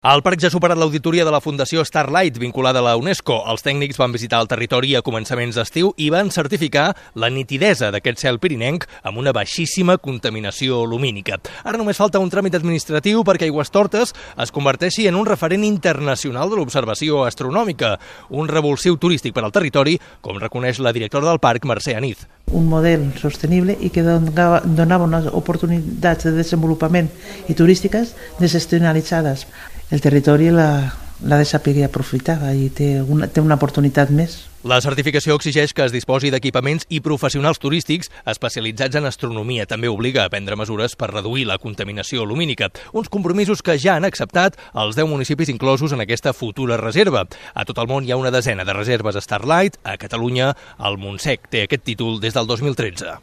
El parc ja ha superat l'auditoria de la Fundació Starlight, vinculada a la UNESCO. Els tècnics van visitar el territori a començaments d'estiu i van certificar la nitidesa d'aquest cel pirinenc amb una baixíssima contaminació lumínica. Ara només falta un tràmit administratiu perquè Aigüestortes es converteixi en un referent internacional de l'observació astronòmica, un revulsiu turístic per al territori, com reconeix la directora del parc, Mercè Aniz. Un model sostenible i que donava unes oportunitats de desenvolupament i turístiques desestacionalitzades. El territori l'ha de saber aprofitar i té una oportunitat més. La certificació exigeix que es disposi d'equipaments i professionals turístics especialitzats en astronomia. També obliga a prendre mesures per reduir la contaminació lumínica. Uns compromisos que ja han acceptat els 10 municipis inclosos en aquesta futura reserva. A tot el món hi ha una desena de reserves Starlight. A Catalunya, el Montsec té aquest títol des del 2013.